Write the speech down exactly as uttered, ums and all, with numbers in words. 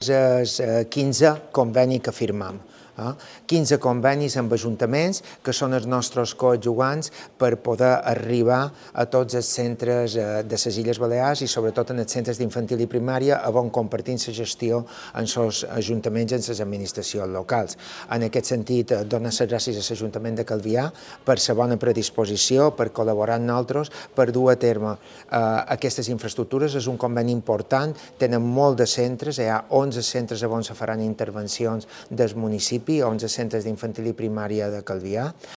És el quinzè conveni que firmam. quinze convenis amb ajuntaments que són els nostres coadjuvants per poder arribar a tots els centres de les Illes Balears i sobretot en els centres d'infantil i primària on compartim la gestió amb els ajuntaments i amb les administracions locals. En aquest sentit, donar les gràcies a l'Ajuntament de Calvià per la bona predisposició, per col·laborar amb nosaltres, per dur a terme aquestes infraestructures. És un conveni important, tenen molt de centres, hi ha onze centres on se faran intervencions del municipi, onze centres d'infantil i primària de Calvià.